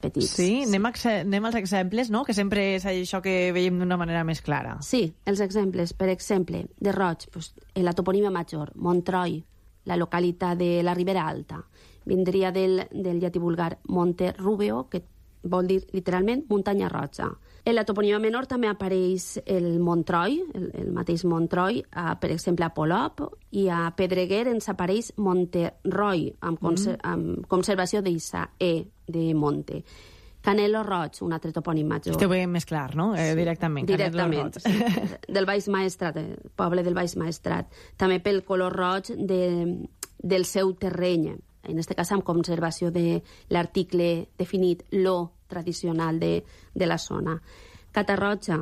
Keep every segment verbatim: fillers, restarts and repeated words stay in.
petits. Sí, anem, anem als exemples, no? Que sempre és això que veiem d'una manera més clara. Sí, els exemples. Per exemple, de Roig, pues, en la toponímia major, Montroi, la localitat de la Ribera Alta, vindria del, del llatí vulgar Monte Rubeo, que vol dir literalment muntanya roja. En la toponímia menor també apareix el Montroi, el, el mateix Montroi, a, per exemple, a Polop, i a Pedreguer ens apareix Monterroi, amb, conser mm. amb conservació d'Issa E de Monte. Canelo Roig, un altre topònim major. Este ho veiem més clar, no? Eh, directament. Directament, sí. Del Baix Maestrat, el poble del Baix Maestrat. També pel color roig de, del seu terreny, en aquest cas amb conservació de l'article definit, lo tradicional de, de la zona. Catarroja,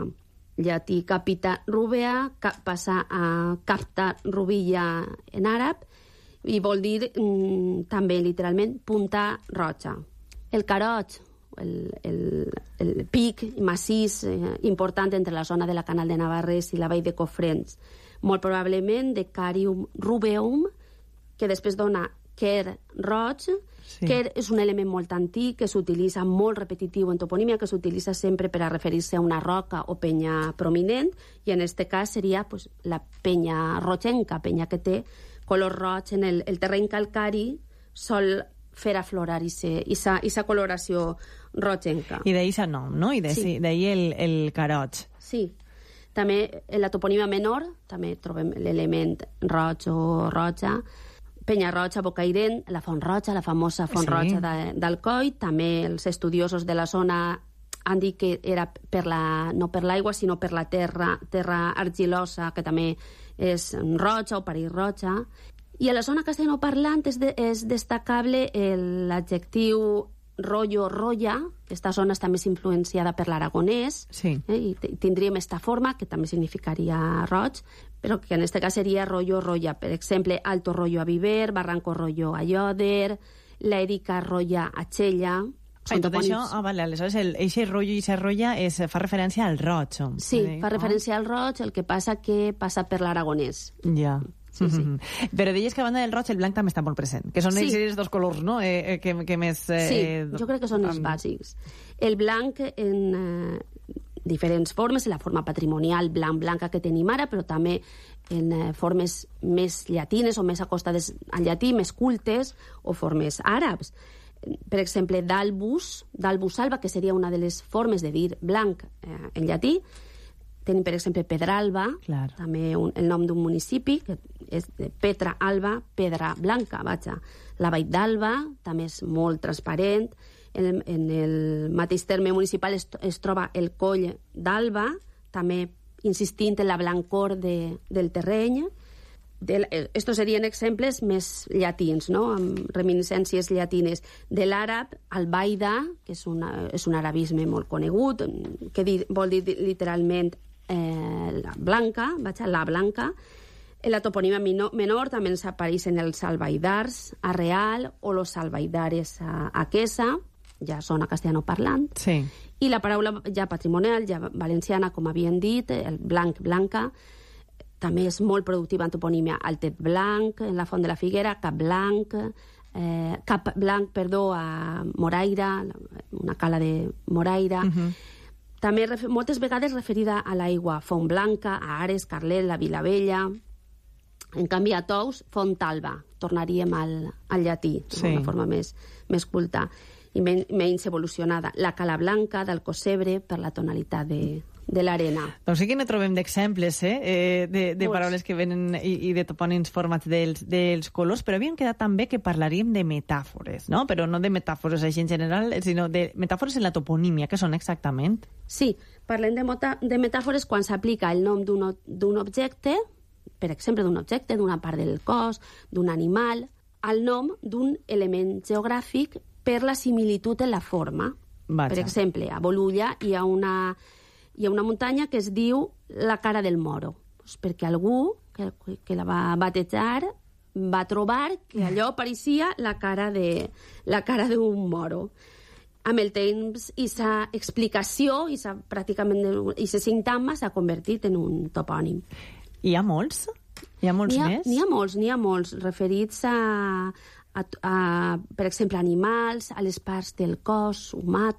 llatí capita rubea, cap, passa a capta rubilla en àrab, i vol dir mm, també literalment punta roja. El Caroig, el, el, el pic massís eh, important entre la zona de la Canal de Navarrés i la vall de Cofrents, molt probablement de Carium rubeum, que després dona Quer roig. Sí. Quer és un element molt antic que s'utilitza molt repetitiu en toponímia, que s'utilitza sempre per a referir-se a una roca o penya prominent, i en aquest cas seria pues, la penya rogenca, penya que té color roig en el, el terreny calcari, sol fer aflorar aquesta coloració rogenca. I d'ahir el nom, no? I d'ahir sí. el, el caroig. Sí. També en la toponímia menor també trobem l'element roig o roja, Penya Roja, Bocairent, la Font Roja, la famosa Font sí. Roja de, d'Alcoi. També els estudiosos de la zona han dit que era per la, no per l'aigua, sinó per la terra, terra argilosa, que també és roja o perill roja. I a la zona castellanoparlant és, de, és destacable l'adjectiu rollo roya. Aquesta zona està més influenciada per l'aragonès, sí. eh, i tindríem esta forma, que també significaria roig, però que en aquest cas seria rollo roya. Per exemple, Alto Rollo a Viver, Barranco Rollo a Lloder, l'Èrica Roya a Xella. I tot això, ah, vale, aleshores, el, eixe rotllo i eixa roya es, fa referència al roig. Sí, eh? fa referència al roig, el que passa que passa per l'aragonès. Ja. Sí, sí. Mm-hmm. Però deies que a banda del roig el blanc també està molt present, que són sí. els dos colors, no?, eh, que, que més... Eh, sí, jo crec que són els bàsics. El blanc en eh, diferents formes, la forma patrimonial blanc-blanca que tenim ara, però també en eh, formes més llatines o més acostades al llatí, més cultes, o formes àrabs. Per exemple, d'albus, d'albus alba, que seria una de les formes de dir blanc eh, en llatí. Tenim, per exemple, Pedralba, Clar. també un, el nom d'un municipi, que és de Petra Alba, Pedra Blanca, vaja. La Vall d'Alba també és molt transparent. En, en el mateix terme municipal es, es troba el Coll d'Alba, també insistint en la blancor de, del terreny. De, estos serien exemples més llatins, no?, amb reminiscències llatines. De l'àrab, Albaida, que és, una, és un arabisme molt conegut, que di, vol dir literalment eh, la blanca, vaja, la blanca. En la toponímia menor també ens apareixen els albaidars a Real o los albaidares a, a Quesa, ja zona castellanoparlant. Sí. I la paraula ja patrimonial, ja valenciana, com havien dit, el blanc, blanca, també és molt productiva en toponímia. Altet Blanc, en la Font de la Figuera, Cap Blanc, eh, Cap Blanc, perdó, a Moraira, una cala de Moraira. Uh-huh. També moltes vegades referida a l'aigua, Font Blanca, a Ares, Carlet, la Vilavella. En canvi, a Tous, Font Alba. Tornaríem al, al llatí, sí. Una forma més, més culta i men, menys evolucionada. La Cala Blanca, d'Alcocebre, per la tonalitat de... de l'arena. Doncs sí que ne trobem d'exemples, eh? eh de, de paraules que venen i, i de topònims formats dels, dels colors, però havíem quedat també que parlaríem de metàfores, no? Però no de metàfores així en general, sinó de metàfores en la toponímia, que són exactament? Sí, parlem de, mota, de metàfores quan s'aplica el nom d'un objecte, per exemple, d'un objecte, d'una part del cos, d'un animal, al nom d'un element geogràfic per la similitud en la forma. Vaja. Per exemple, a Bolulla hi ha una... hi ha una muntanya que es diu la cara del Moro, pues perquè algú que, que la va batejar va trobar que allò pareixia la cara de la cara d'un moro. Amb el temps, aquesta explicació, i pràcticament aquest sintagma s'ha convertit en un topònim. Hi ha molts? Hi ha molts n'hi ha, més? N'hi ha molts, n'hi ha molts, referits a, a, a, per exemple, animals, a les parts del cos humà,